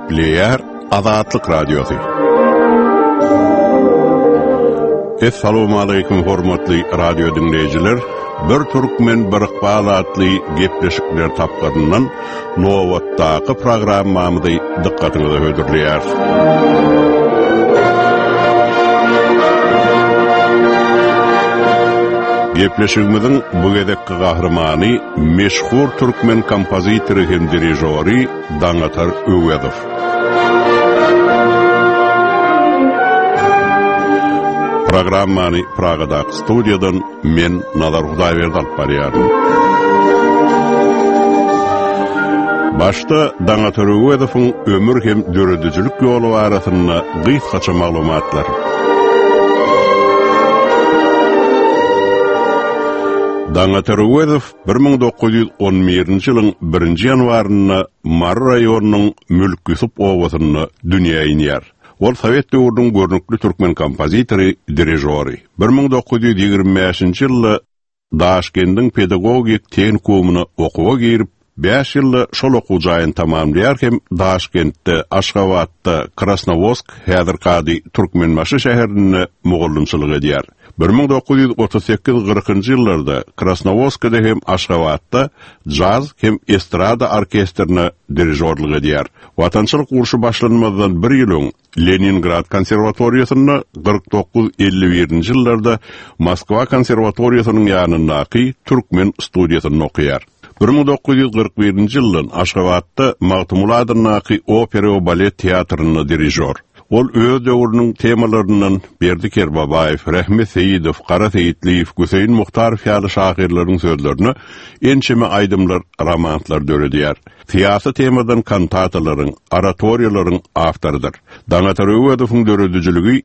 Gepleýär Azatlyk Radiosy. Essalawmaleýkim hormatly radio diňleýjiler. Bir türkmen bir ykbal atly gepleşikler tapgyryndan nobatdaky programmamyzy dykgatyňyza hödürleýäris. Gepleşigimiziň bu gezekki gahrymany meşhur türkmen kompozitory hem dirižory Daňatar Öwezow. Programmany Pragadaky studiýadan men Nazar Hudaýberdi alyp barýaryn. Başda Daňatar Öwezowyň ömür hem döredijilik ýoly barasynda gysgaça maglumatlar. Daňatar Öwezow 1911-nji ýylyň birinji ýanwarynda Mary raýonynyň Mülk Ýusup obasynda dünýä inýär. Ol sowet döwrüniň görnükli türkmen kompozitory, dirižory. 1925-nji ýylda Daşkendiň pedagogik tehnikumyna okuwa girip, bäş ýylda şol okuw jaýyny tamamlaýar hem Daşkentde, Aşgabatda, Krasnowodsk, häzirki ady Türkmenbaşy şäherinde mugallymçylyk edýär. 1938 kyrkynjy ýyllarda Krasnowodskide hem Aşgabatda jaz hem estrada orkestrine dirižorlyk edýär. Watançylyk urşy başlanmazdan bir ýyl öň Leningrad konserwatoriýasynda, 49 51-nji ýyllarda Moskwa konserwatoriýasynyň ýanyndaky türkmen studiýasynda okaýar. 1941-nji ýyldan Aşgabatda Magtymguly adyndaky opera we balet teatrynda dirižor. Ol öz döwrüniň temalaryndan Berdi Kerbabaýew, Rehmet Seýidow, Gara Seýitliýew, Güseýin Muhtarow ýaly şahyrlaryň sözlerine ençeme aýdymlar, romanslar döredýär. Syýasy temadan kantatalaryň, oratoriýalaryň awtorydyr. Daňatar Öwezowyň döredijiligi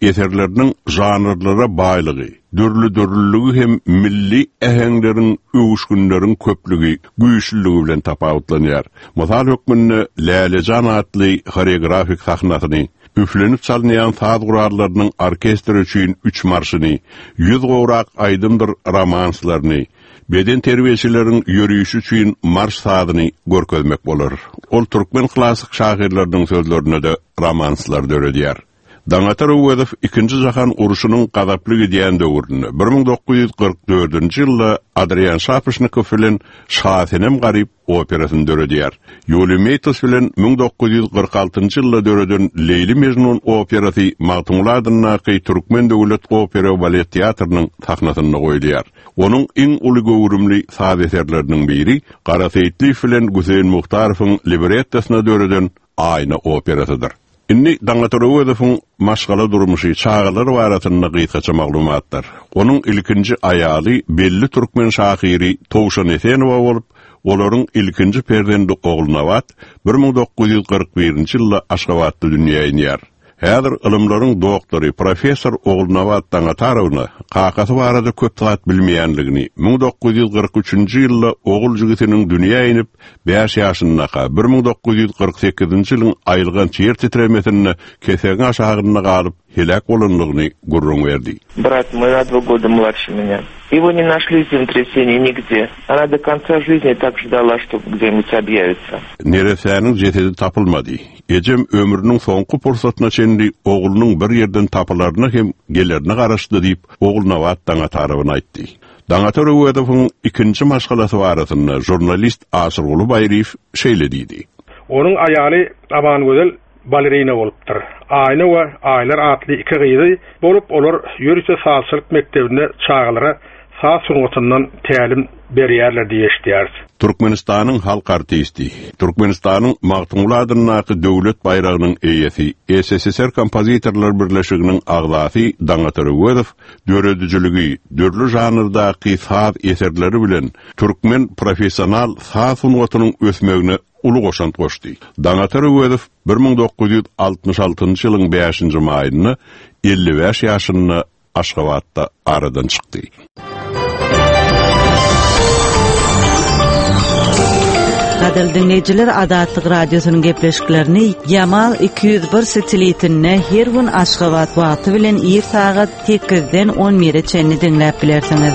eserleriniň žanrlara baýlygy, dürli-dürlüligi hem milli äheňleriň, öwüşginleriň köplügi, güýçlüligi bilen tapawutlanýar. Mysal hökmünde Lälejan atly horeografik sahnasyny, üflenip çalynýan saz gurallarynyň orkestr üçin üç marşyny, ýüz gowrak aýdymdyr romanslaryny, Bedenterbiýeçileriň ýörişi üçin marş sazyny görkezmek bolar. Ol türkmen klassyk şahyrlarynyň sözlerine-de romanslar döredýär. Daňatar Öwezow Ikinji jahan urşunyň gazaply gidýän döwründe, 1944-nji ýylda Adrian Şapyşnikow bilen Şasenem-Garyp operasyny döredýär. Ýuliý Meýtos bilen 1946-njy ýylda döreden Leýli-Mejnun operasy Magtymguly adyndaky Türkmen döwlet opera we balet teatrynyň sahnasynda goýulýar. Onuň iň uly göwrümli saz eserleriniň biri Gara Seýitliýew bilen Güseýin Muhtarowyň librettosyna döreden Aýna operasydyr. Indi Daňatar Öwezowyň maşgala durmuşy, çagalary barasynda gysgaça maglumatlar. Onuň ilkinji aýaly belli türkmen şahyry Towşan Esenowa bolup, olaryň ilkinji perzendi Ogulnabat 1941-nji ýylda Aşgabatda dünýä inýär. Häzir ylymlaryň doktory, professor Ogulnabat Daňatarowna kakasy barada köp zat bilmeýänligini, 1943-nji ýylda ogul jigisiniň dünýä inip, bäş ýaşyndaka, 1948-nji ýylyň aýylganç ýer titremesinde kesegiň aşagynda galyp, heläk bolandygyny gürrüň berdi. Brat moý na dva goda mladше меня. Его не нашли землетрясение nigde. Ona do konca жизни так ждала, что где-нибудь obýawitsa. Neressäniň jesedi tapylmady. Ejem ömrüniň soňky pursatyna çenli oglunyň bir ýerden tapylaryna hem gelerine garaşdy diýip, Ogulnabat Daňatarowna aýtdy. Daňatar Öwezowyň ikinji maşgalasy barasynda žurnalist Aşyrguly Baýryýew şeýle diýdi. Onuň aýaly Amangözel balerina bolupdyr. Aýna we Aýlar atly iki gyzy bolup, olar ýörite sazçylyk mekdebinde çagalara saz sungatyndan tälim berýärler diýip eşidýäris. Türkmenistanyň halk artisti, Türkmenistanyň Magtymguly adyndaky Döwlet baýragynyň eýesi, SSSR Kompozitorlar birleşiginiň agzasy Daňatar Öwezow döredijiligi, dürli žanrdaky saz eserleri bilen türkmen professional saz sungatynyň ösmegine uly goşant goşdy. Daňatar Öwezow 1966-njy ýylyň bäşinji maýynda 55 ýaşynda Aşgabatda aradan çykdy. Gadyrly diňleýjiler, Azatlyk Radiosynyň gepleşiklerini Ýamal 201 satelitinde her gün Aşgabat wagty bilen ir sagat sekizden on bire çenli diňläp bilersiňiz.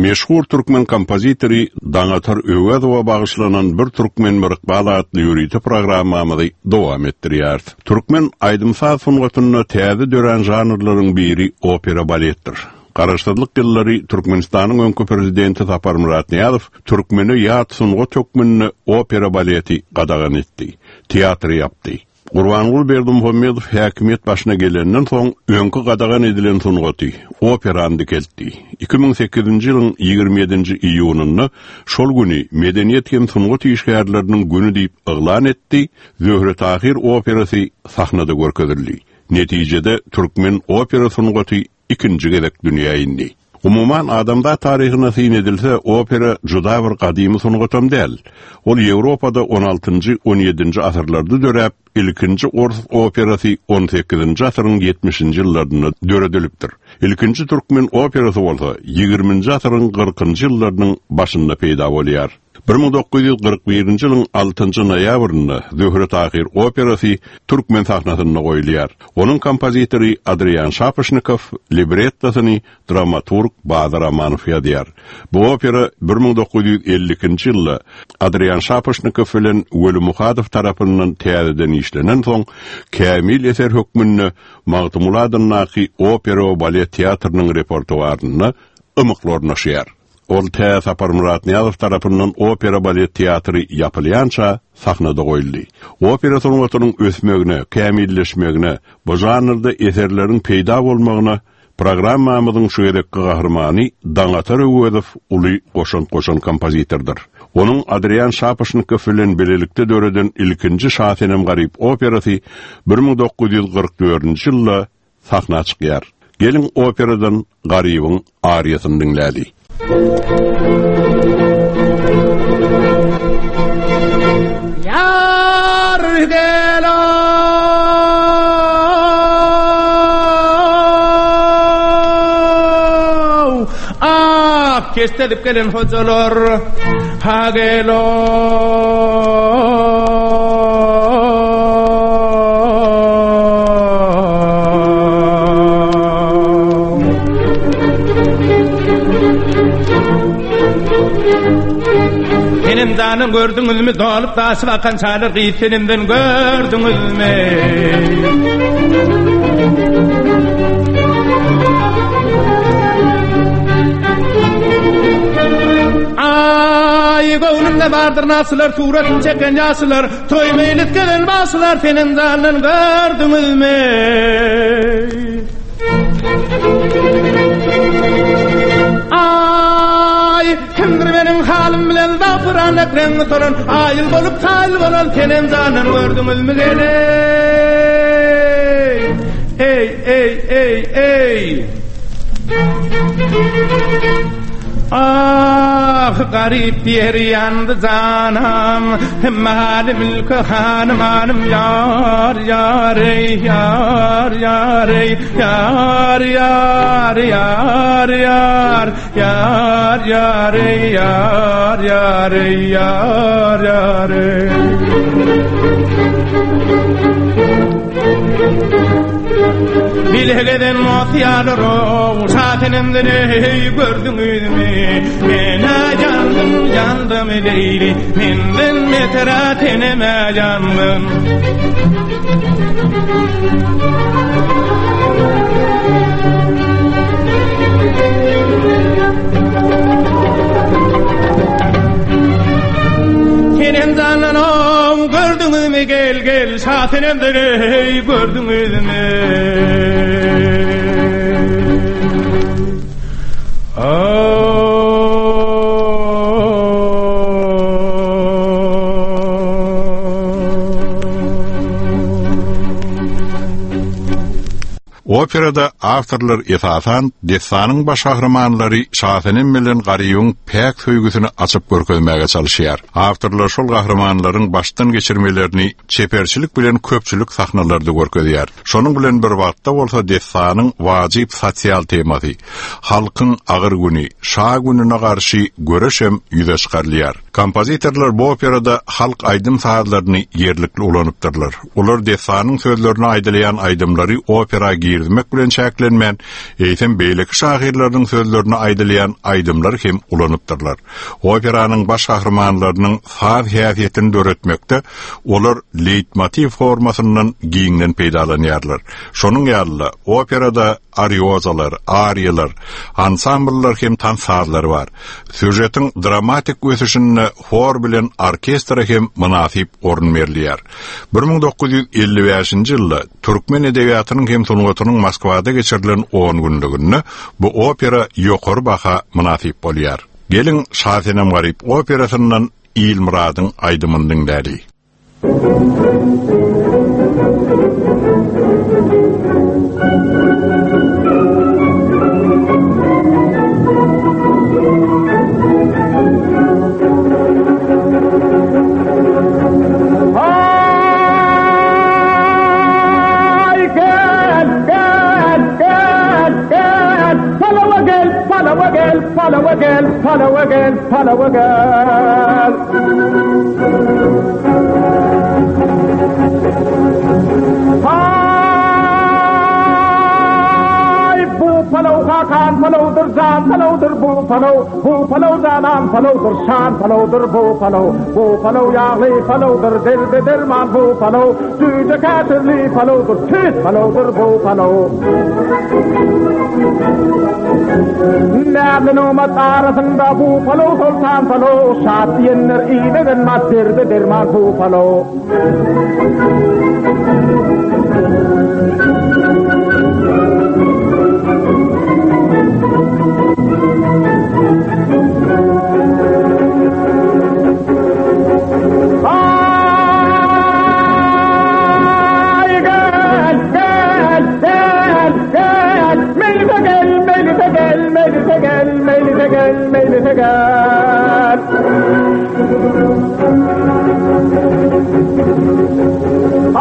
Meşhur türkmen kompozitory Daňatar Öwezowa bagyşlanan Bir türkmen bir ykbal atly ýörite programmamyzy dowam etdirýäris. Türkmen aýdym-saz sungatynda täze dörän žanrlaryň biri opera-baletdir. Garaşsyzlyk ýyllary Türkmenistanyň öňki prezidenti Saparmyrat Nyýazow türkmene ýat sungat hökmünde opera-baleti gadagan etdi, teatry ýapdy. Gurbanguly Berdimuhamedow häkimiýet başyna gelenden soň, öňki gadagan edilen sungaty, operany dikeltdi. 2008-nji ýylyň 27-nji iýunynda şol güni Medeniýet hem sungat işgärleriniň güni diýip yglan etdi, Zöhre-Tahyr operasy sahnada görkezildi. Netijede, türkmen opera sungaty ikinji gezek dünýä indi. Umuman, adamzat taryhyna syn edilse, opera juda bir gadymy sungatam däl. Ol Ýewropada on altynjy, on ýedinji asyrlarda döräp, ilkinji ors operasy on sekizinji asyryň ýetmişinji ýyllarynda döredilipdir. Ilkinji türkmen operasy bolsa ýigriminji asyryň kyrkynjy ýyllarynyň başynda peýda bolýar. 1941-nji ýylyň altynjy noýabrynda Zöhre-Tahyr operasy türkmen sahnasynda goýulýar. Onuň kompozitory Adrian Şapoşnikow, librettosyny dramaturg Bazar Amanow ýazýar. Bu opera 1952-nji ýylda Adrian Şapoşnikow bilen Weli Muhadow tarapyndan täzeden işlenensoň, kämil eser hökmünde Magtymguly adyndaky opera we balet teatrynyň repertuarynda ymykly ornaşýar. Ol tä Saparmyrat Nyýazow tarapyndan opera-balet teatry ýapylýança sahnada goýuldy. Opera sungatynyň ösmegine, kämilleşmegine, bu žanrda eserleriň peýda bolmagyna programmamyzyň şu gezekki gahrymany Daňatar Öwezow uly goşant goşan kompozitordyr. Onuň Adrian Şapoşnikow bilen bilelikde döreden ilkinji Şasenem-Garyp operasy 1944-nji ýylda sahna çykýar. Geliň operadan Garybyň ariýasyny diňläli. Ýar gel-ow, ak keşdelip gelen hojalar, ha gel-ow. Senemdanyň gördüňizmi dolup daşyp akan çaýlar gyz senemden gördüňizmi? Aý göwnümde bardyr nasylar suratyn çeken ýaşylar Toý meýlis gezen bagşylar Senemdandan gördüňizmi? Aý, kimdir meniň halym bilen zagpyran dek reňňi solan, aýyl bolup kaýyl bolan Senemjandan gördüňizmi gel-eý? Eý, eý, eý, eý! Ah, garyp diýer ýandy janam, Maly mülke hanymanym ýar, ýar eý, ýar, ýar eý, ýar, ýar, ýar, ýar, ýar, ýar eý, ýar, ýar eý, ýar, ýar eý. Bile gezen mosýalar-ow, Şasenemden eý gördüňizmi? Men-ä ýandym, ýandym Leýli, Menden beter-ä senem-ä ýandym. Senem jandan-ow, gördüňizmi gel, gel, Şasenemden eý gördüňizmi? Operada awtorlar esasan dessanyň baş gahrymanlary Şasenem bilen Garybyň päk söýgüsini açyp görkezmäge çalyşýar. Awtorlar şol gahrymanlaryň başdan geçirmelerini çeperçilik bilen köpçülik sahnalarda görkezýär. Şonuň bilen bir wagtda bolsa dessanyň wajyp sosial temasy, halkyň agyr güni, şa gününe garşy göreşem ýüze çykarylýar. Kompozitorlar bu operada halk aýdym-sazlaryny ýerlikli ulanypdyrlar. Olar dessanyň sözlerine aýdylýan aýdymlary opera girizmek. bermek bilen çäklenmän, eýsem beýleki şahyrlarynyň sözlerine aýdylýan aýdymlary hem ulanypdyrlar. Operanyň baş gahrymanlarynyň saz häsiýetini döretmekde olar leýtmotiw formasyndan giňden peýdalanýarlar. Şonuň ýaly-da, operada ariozalar, ariýalar, ansambllar hem tans sazlary bar. Sýužetiň dramatik ösüşinde hor bilen orkestre hem mynasyp orun berilýär. 1955-nji ýylda türkmen edebiýatynyň hem sungatynyň Moskwada geçirilen on günlüginde bu opera ýokary baha mynasyp bolýar. Geliň, Şasenem-Garyp operasyndan Ilmyradyň aýdymyny diňläli. Palawa gel, palawa gel, palawa gel. Hay bu palaw hakan palawdyr, jan palawdyr bu palaw, bu palaw janan palawdyr, şan palawdyr bu palaw, bu palaw ýagly palawdyr, derde derman bu palaw, jüýje käşirli palawdyr, tüýs palawdyr bu palaw. Näzli nygmat arasynda bu palaw soltan palaw, şat diýenler iýmegen mat derde derman bu palaw. Meclise gel.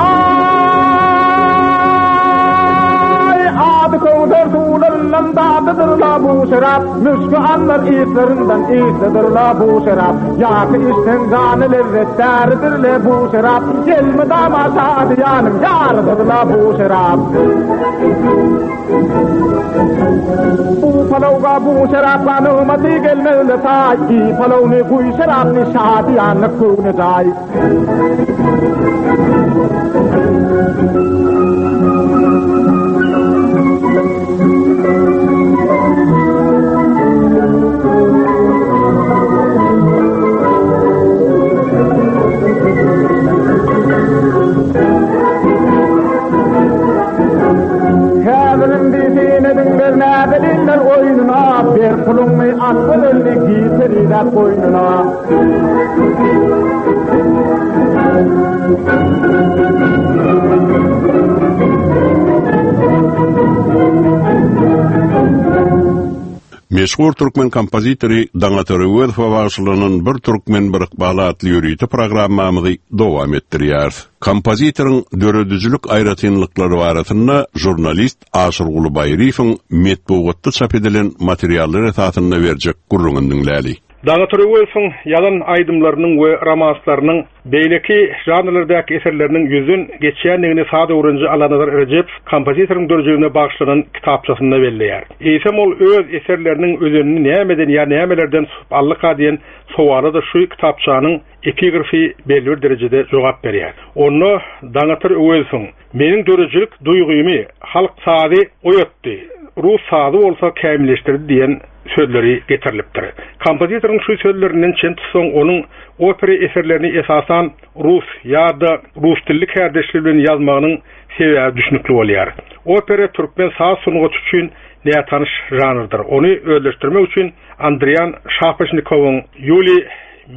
Ay ady köwser suwlaryndan dadydyr la bu şerap. Müşki anlar ýyslarinden ýyslydyr la bu şerap. Ýaky içseň jany lezzet däridir le bu şerap. Elmydama şadyýanyň ýarydyr la bu şerap. Bu palawga bu şerapga nygmaty gelmezle taý, Iý palawny guý şerapny şadyýanlyk göwne jaý. Häzir indi syn ediňler näzeninler oýnuna, Ber puluňy at gözelini gir perizat goýnuna. Meşhur türkmen kompozitory Daňatar Öwezowa bagyşlanan Bir türkmen bir ykbal atly ýörite programmamyzy dowam etdirýäris. Kompozitoryň döredijilik aýratynlyklary barasynda žurnalist Aşyrguly Baýryýewiň metbugatda çap edilen materiallar esasynda berjek gürrüňini diňläli. Daňatar Öwezowyň ýazan aýdymlarynyň we romanslarynyň, beýleki žanrlardaky eserleriniň ýüzden geçýändigini saz öwreniji Allanazar Rejepow kompozitoryň döredijiligine bagyşlanan kitapçasynda belleýär. Eýsem ol öz eserleriniň özenini nämeden ýa nämelerden susup aldyka diýen sowala-da şu kitapçanyň Epigrafi belli bir derejede jogap berýär. Onda Daňatar Öwezowyň, Meniň döredijilik duýgymy halk sazy oýatdy, rus sazy bolsa kämilleşdirdi diýen sözleri getirilipdir. Kompozitoryň şu sözlerinden çen tutsaň, onuň opera eserlerini esasan rus ýa-da rus dilli kärdeşleri bilen ýazmagynyň sebäbi düşnükli bolýar. Opera türkmen saz sungaty üçin nätanyş žanrdyr. Ony özleşdirmek üçin Andrian Şapoşnikowyň, Ýuliý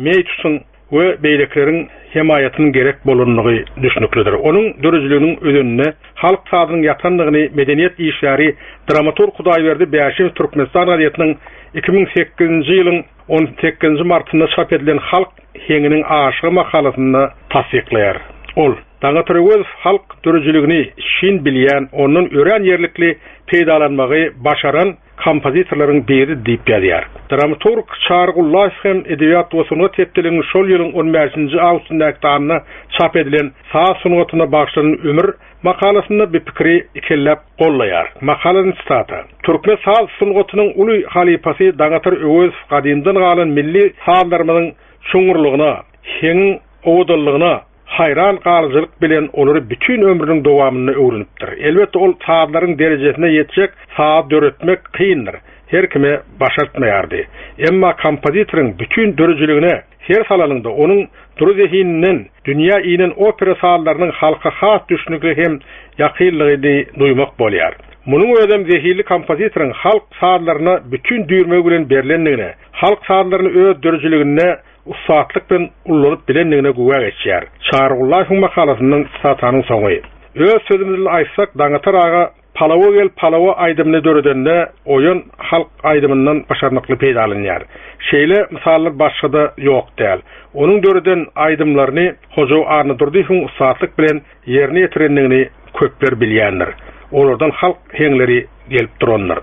Meýtusyň we beýlekileriň hemaýatynyň gerek bolandygy düşnüklidir. Onuň döredijiliginiň özeninde halk sazynyň ýatandygyny medeniýet işgäri, dramaturg Hudaýberdi Bäşimow Türkmenistan gazetiniň 2008-nji ýylyň on sekizinji martynda çap edilen Halk heňiniň aşygy makalasynda tassyklaýar. Ol, Daňatar Öwezow halk döredijiligini şin bilýän, ondan örän ýerlikli peýdalanmagy başaran. kompozitorlaryň biri diýip ýazýar. Dramaturg Çary Gullaýew hem Edebiýat we sungat hepdeliginiň şol ýylyň on bäşinji awgustyndaky sanynda çap edilen Saz sungatyna bagyşlanan ömür makalasynda bu pikiri ikelläp gollaýar. Makaladan sitata, Türkmen saz sungatynyň uly halypasy Daňatar Öwezow gadymdan galan milli sazlarymyzyň çuňňurlygyna, heňiň owadanlygyna haýran galyjylyk bilen olary bütin ömrüniň dowamynda öwrenipdir. Elbetde, ol sazlaryň derejesine ýetjek saz döretmek kyndyr, her kime başartmaýardy. Emma kompozitoryň bütin döredijiligine ser salanyňda, onuň dury zehininden dünýä inen opera sazlarynyň halka has düşnükli hem ýakynlygyny duýmak bolýar. Munuň özem zehinli kompozitoryň halk sazlaryna bütin düýrmegi bilen berlendigine, halk sazlaryny öz döredijiliginde ussatlyk bilen ullanyp bilendigine güwä geçýär. Çary Gullaýewiň makalasyndan sitatanyň soňy. Öz sözümiz bilen aýtsak, Daňatar aga Palawa gel, palawa aýdymyny döredende Oýan halk aýdymyndan başarnykly peýdalanýar. Şeýle mysallar başga-da ýok däl. Onuň döreden aýdymlaryny Hojaw Annadurdyýewiň ussatlyk bilen ýerine ýetirendigini köpler bilýändir. Olardan halk heňleri gelip durandyr.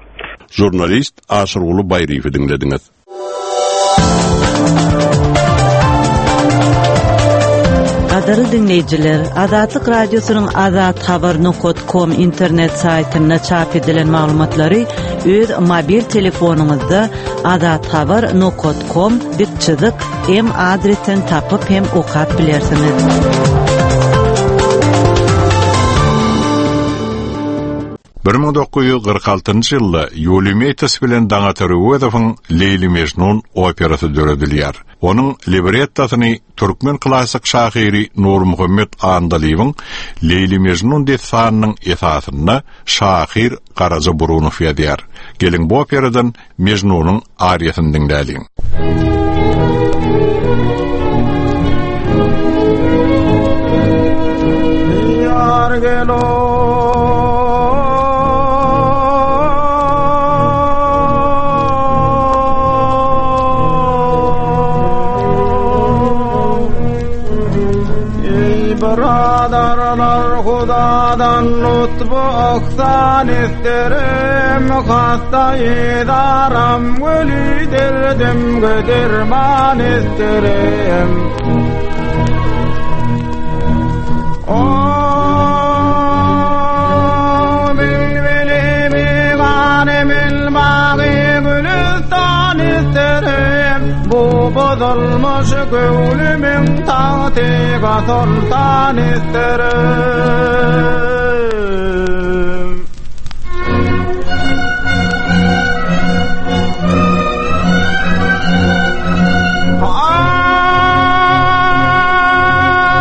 Žurnalist Aşyrguly Baýryýewi diňlediňiz. Gadyrly diňleýjiler, Azatlyk Radiosynyň Azat Habar nokat kom internet saýtynda çap edilen maglumatlary öz mobil telefonyňyzda azathabar nokat kom dik çyzyk m adresden tapyp hem okap bilersiňiz. 1946-njy ýylda Ýuliý Meýtes bilen Daňatar Öwezowyň Leýli-Mežnun operasy döredilýär. Onuň librettosyny türkmen klassyk şahyry Nurmuhammet Andalybyň Leýli-Mežnun dessanynyň esasynda şahyr Garaja Burunow ýazýar. Geliň bu operadan Mejnunyň ariýasyny diňläliň. Ýar gelo Ey biradarlar Hudadan lutfu ihsan isterim Hasta idaram weli derdimge derman isterim O bilbili bigane bilbagy gülüstan isterim Bu bozulmuş göwnümiň tagtyga soltan isterim.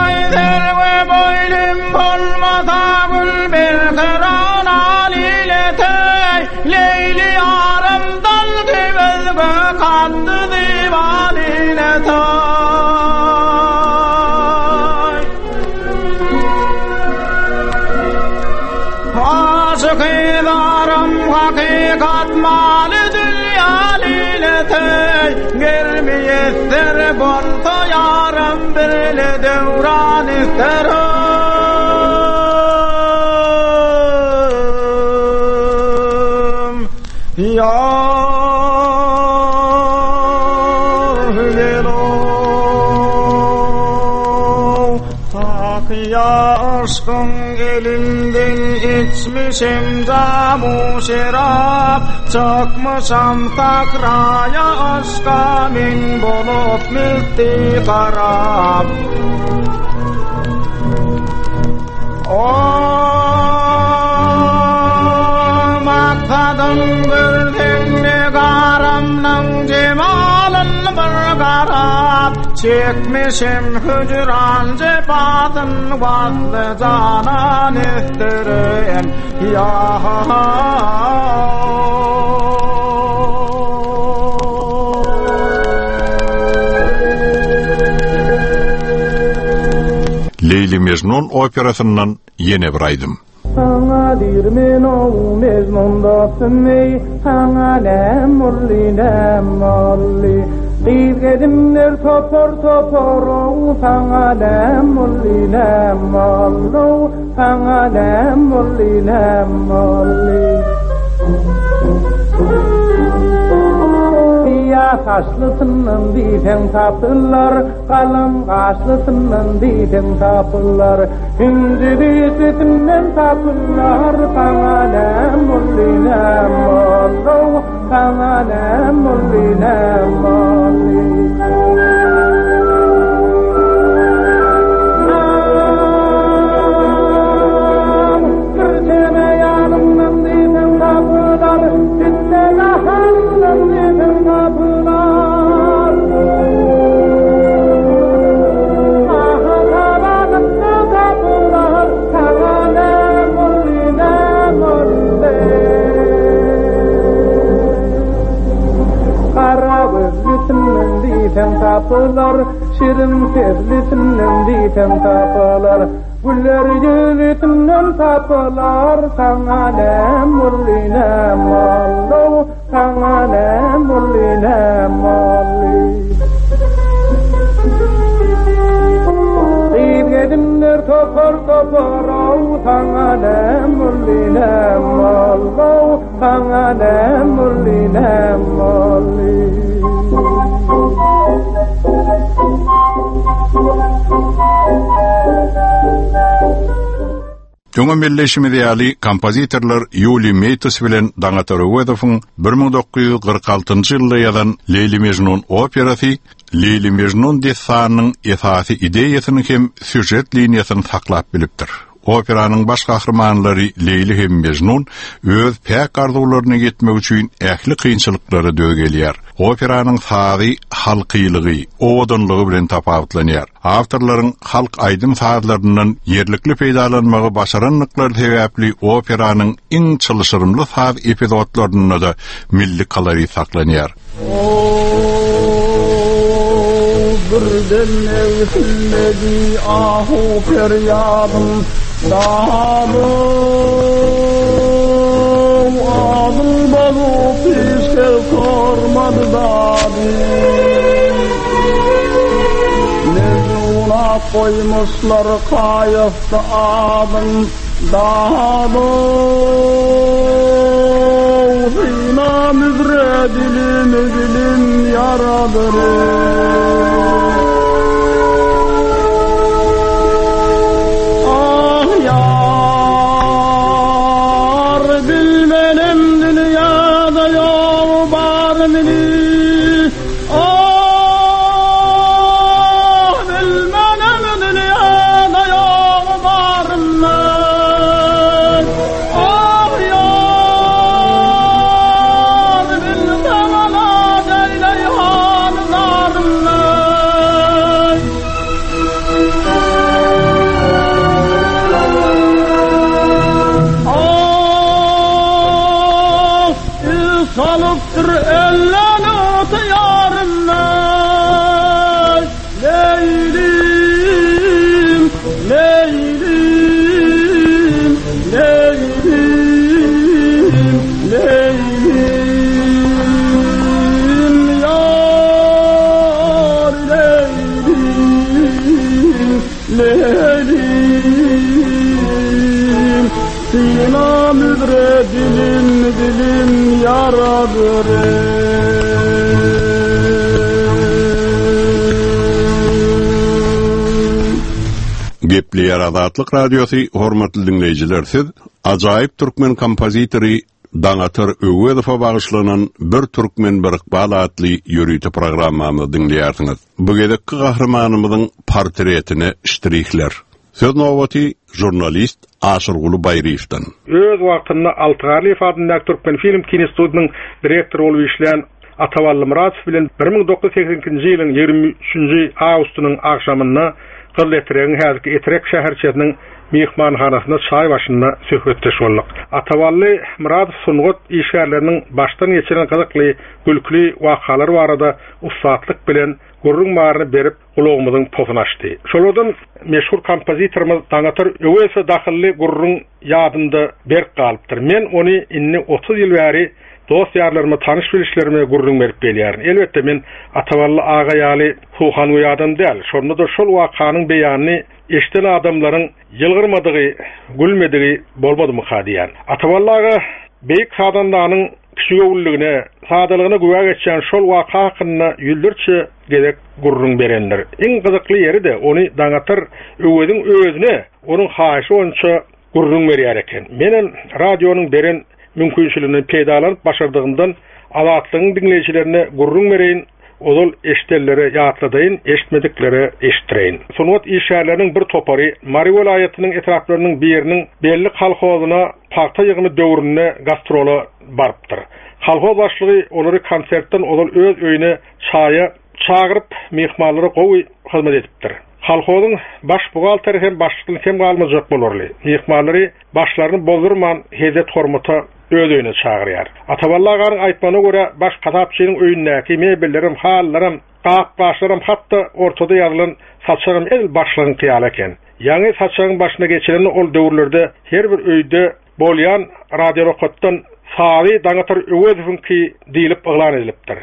Aý serwi boýlum bolmasa gül berkarar alileteý Leýli ýarym dalgy özge katdy diwan ileteý. Aşyky zarym hakykat maly dünýä lileteý Ger miýesser bolsa ýarym birle döwran isterim Ýar gel-ow Sakyýa yşkyň elinden içmişem jamu şerap, Çykmyşam sakraýa yşka men bolup müfti harap. O maksadym görseň negaramnyň jemalyn bir garap, Çekmişem hüjran jepasyn wasly janan isterim ýa Leýli-Mejnun operasyndan ýene bir aýdym. Saňa diýr men ow Mejnun dostum eý, Saňa näm boldy, näm boldy? Gyz gelinler topar topar ow, Saňa näm boldy, näm boldy-ow, Saňa näm boldy, näm boldy? Syýa saçlysyndan diýseň tapylar, galam gaşlysyndan diýseň tapylar, Hindi dişlisinden tapylar, saňa näm boldy, näm boldy, saňa näm boldy, näm boldy. Tapylar, şirin sözlüsinden diýseň tapylar. Güller ýüzüsinden tapylar, saňa näm boldy, näm boldy, saňa näm boldy, näm boldy. Gyz gelinler topar topar, ow, saňa näm boldy, näm boldy, saňa näm boldy, näm boldy. Öňem belleýşimiz ýaly, kompozitorlar Ýuliý Meýtus bilen Daňatar Öwezowyň 1946-njy ýylda ýazan Leýli-Mežnun operasy Leýli-Mežnun dessanynyň esasy ideýasyny hem sýužet liniýasyny saklap bilipdir. Operanyň baş gahrymanlary Leýli hem Mejnun öz päk arzuwlaryna ýetmek üçin ähli kynçylyklara döz gelýär. Operanyň sazy halkylygy, owadanlygy bilen tapawutlanýar. Awtorlaryň halk aýdym-sazlaryndan ýerlikli peýdalanmagy başarandyklary sebäpli operanyň iň çylşyrymly saz epizodlarynda-da milli kolorit saklanýar. Birden egsilmedi ahu-perýadym, Dady-ow, adyl bozup hiç kes sormady dady. Mejnuna goýmuşlar kaýasda adyn, Dady-ow, synam üzre dilim dilim ýaradyr. Ah ýar, bilmenem dünýäde ýol barmyny, Ah, bilmenem dünýäde ýol barmy. Ah ýar, bilsem alad eýleý hal zarmy. Ah, il salypdyr elden ygtyýaryny. Leýlim, Leýlim, Leýlim, Leýlim, ýar Leýlim, Leýlim. Synam üzre dilim, dilim ýaradyr. Gepleýär Azatlyk Radiosy, hormatly diňleýjiler siz ajaýyp türkmen kompozitory Daňatar Öwezowa bagyşlanan Bir türkmen bir ykbal atly ýörite programmamyzy diňleýärsiňiz. Bu gezekki gahrymanymyzyň portretine ştrihler. Söz nobaty žurnalist Aşyrguly Baýryýewden. Öz wagtynda Alty Garlyýew adyndaky Türkmenfilm kinostudiýasynyň direktory bolup işlän Atabally Myradow bilen 1982-nji ýylyň 23-nji awgustynyň agşamynda Gyzyletregiň häzirki Etrek şäherçesiniň myhmanhanasynda çaý başynda söhbetdeş bolduk. Atabally Myradow sungat işgärleriniň başdan geçiren gyzykly, gülküli wakalary barada ussatlyk bilen gürrüň baryny berip, gulagymyzyň posuny açdy. Şolardan meşhur kompozitorymyz Daňatar Öwezowa dahylly gürrüň ýadymda berk galypdyr. Men ony indi 30 ýyl bäri dost-ýarlaryma, tanyş-bilişlerime gürrüň berip gelýärin. Elbetde, men Atabally aga ýaly suhangöý adam däl. Şonda-da şol wakanyň beýanyny eşiden adamlaryň ýylgyrmadygy, gülmedigi bolmadymyka diýýän. Atabally aga beýik sazandanyň. kiçigöwünligine, sadalygyna güwä geçýän şol waka hakynda ýüzlerçe gezek gürrüň berendir. Iň gyzykly ýeri-de ony Daňatar Öweziň özüne onuň haýyşy boýunça gürrüň berýär eken. Menem radionyň beren mümkinçiliginden peýdalanyp başardygymdan Azatlygyň diňleýjilerine gürrüň bereýin, ozal eşidenlere ýatladaýyn, eşitmediklere eşitdireýin. Sungat işgärleriniň bir topary Mary welaýatynyň etraplarynyň biriniň belli kolhozyna pagta ýygymy döwründe gastrola barypdyr. Kolhoz başlygy olary konsertden ozal öz öýüne çaýa çagyryp, myhmanlara gowy hyzmat edipdir. Kolhozyň baş buhgalteri hem başlykdan kem galmajak bolarly, myhmanlary başlaryny bozdurman hezzet-hormata öz öýüne çagyrýar. Atabally aganyň aýtmagyna görä, baş hasapçynyň öýündäki mebellerem, halylaram, gap-gaçlaram, hat-da ortada ýazylan saçagam edil başlygyňky ýaly eken. Ýaňy saçagyň başyna geçilende ol döwürlerde her bir öýde bolýan radionokatdan sazy Daňatar Öwezowyňky diýlip yglan edilipdir.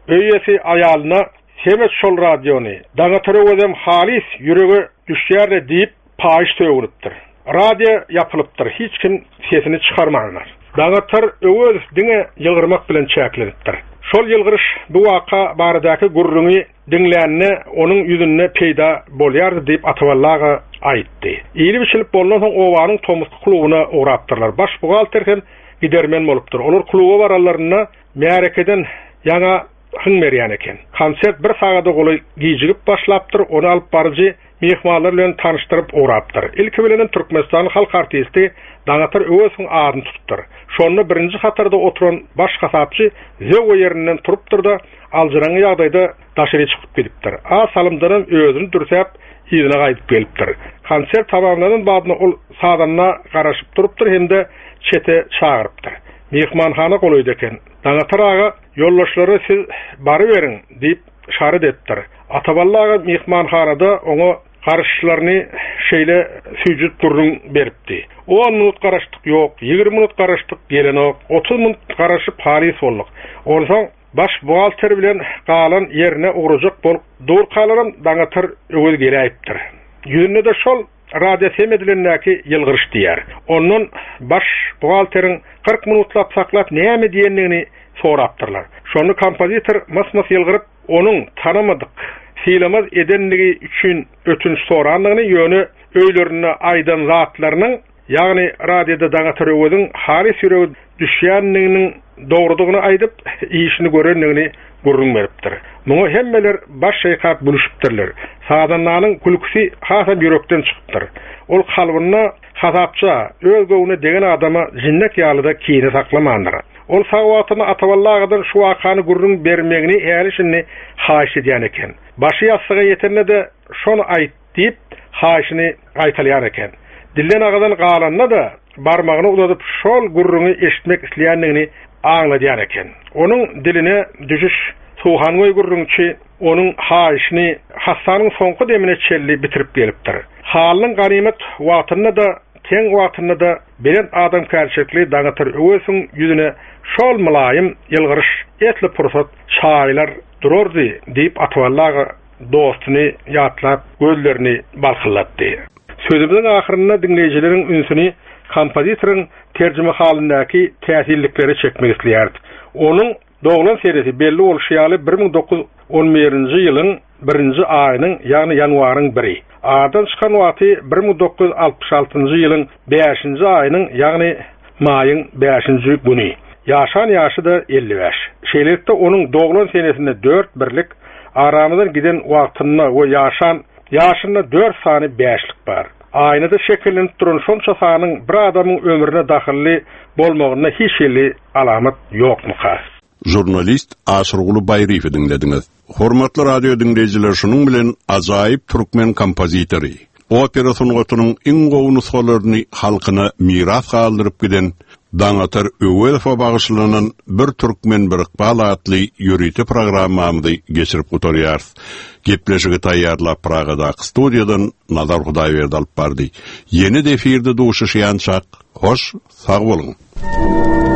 Öý eýesi aýalyna Sem et şol radiony, Daňatar Öwezem halys ýürege düşýär-le diýip, paýyş sögünipdir. Radio ýapylypdyr, hiç kim sesini çykarmandyr. Daňatar Öwezow diňe ýylgyrmak bilen çäklenipdir. Şol ýylgyryş bu waka baradaky gürrüňi diňlände onuň ýüzünde peýda bolýardy diýip Atabally aga aýtdy. Iýlip-içilip bolnansoň obanyň tomusky klubyna ugrapdyrlar. Baş buhgalter hem gidermen bolupdyr. Olar kluba baranlarynda märekeden ýaňa hyň berýän eken. Konsert bir sagada golaý gijigip başlapdyr, ony alyp baryjy myhmanlar bilen tanyşdyryp ugrapdyr. Ilki bilenem Türkmenistanyň halk artisti Daňatar Öwezowyň adyny tutupdyr. Şonda birinji hatarda oturan baş hasapçy zöwwe ýerinden turupdyr-da, aljyraňňy ýagdaýda daşary çykyp gidipdir. Az salymdanam özüni dürsäp, yzyna gaýdyp gelipdir. Konsert tamamlanan badyna ol sazanda garaşyp durupdyr hem-de çete çagyrypdyr. Myhmanhana golaýda eken. Daňatar aga Ýoldaşlara siz baryberiň, diýip, yşarat edipdir. Atabally aga myhmanhanada oňa garaşyşlaryny şeýle süýjüdip gürrüň beripdi. On minut garaşdyk, ýok, 20 minut garaşdyk, gelenok, 30 minut garaşyp halys bolduk. Onsoň baş buhgalter bilen galan ýerine ugrajak bolup durkalaram Daňatar Öwez geläýipdir. Ýüzünde-de şol Radio sem edilendäki ýylgyryş diýýär. Ondan baş buhgalteriň 40 minutlap saklap näme diýendigini sorapdyrlar. Şonda kompozitor mys-mys ýylgyryp, onuň tanamadyk, sylamaz edenligi üçin ötünç sorandygyny, ýöne öýlerinde aýdan zatlarynyň, ýagny radioda Daňatar Öweziň halys ýüregi düşýändiginiň dogrudygyny aýdyp, işini görendigini gürrüň beripdir. Muňa hemmeler baş şeýkap gülüşipdirler. Sazandanyň gülküsi hasam ýürekden çykypdyr. Ol kalbynda hasapça, öz göwnüne degen adama jinnek ýaly-da kine saklamandyr. Ol sag wagtynda Atabally agadan şu wakany gürrüň bermegini häli-şindi haýyşt edýän eken. Başy ýassyga ýetende-de şony aýt diýip, haýyşyny gaýtalaýan eken. Dilden agadan galanda-da barmagyny uzadyp şol gürrüňi eşitmek isleýändigini aňladýan eken. Onuň diline düşüş suhangöý gürrüňçi onuň haýyşyny hassanyň soňky demine çenli bitirip gelipdir. Halynyň ganymat wagtynda-da, teň wagtynda-da belent adamkärçilikli Daňatar Öwezowyň ýüzüne şol mylaýym ýylgyryş esli pursat çaýylar durardy diýip Atabally aga dostuny ýatlap gözlerini balkyldatdy. Sözümiziň ahyrynda diňleýjileriň ünsüni kompozitoryň terjimehalyndaky täsinliklere çekmek isleýäris. Onuň doglan senesi belli bolşy ýaly 1911-nji ýylyň birinji aýynyň, ýagny ýanwaryň biri. Aradan çykan wagty 1966-njy ýylyň bäşinji aýynyň, ýagny maýyň bäşinji güni. Ýaşan ýaşy-da 55. Şeýlelikde, onuň doglan senesinde dört birlik, aramyzdan giden wagtynda we ýaşan Ýaşynda dört sany bäşlik bar. Aýnada şekillenip duran şonça sanyň bir adamyň ömrüne dahylly bolmagynda hiç hili alamat ýokmuka? Žurnalist Aşyrguly Baýryýewi diňlediňiz. Hormatly radio diňleýjiler şunuň bilen ajaýyp türkmen kompozitory, opera sungatynyň iň gowy nusgalaryny halkyna miras galdyryp giden Daňatar Öwezowa bagyşlanan Bir türkmen bir ykbal atly ýörite programmamyzy geçirip gutarýarys. Gepleşigi taýýarlap Pragadaky studiýadan Nazar Hudaýberdi alyp bardy. Ýene-de efirde duşuşýançak, hoş sag boluň!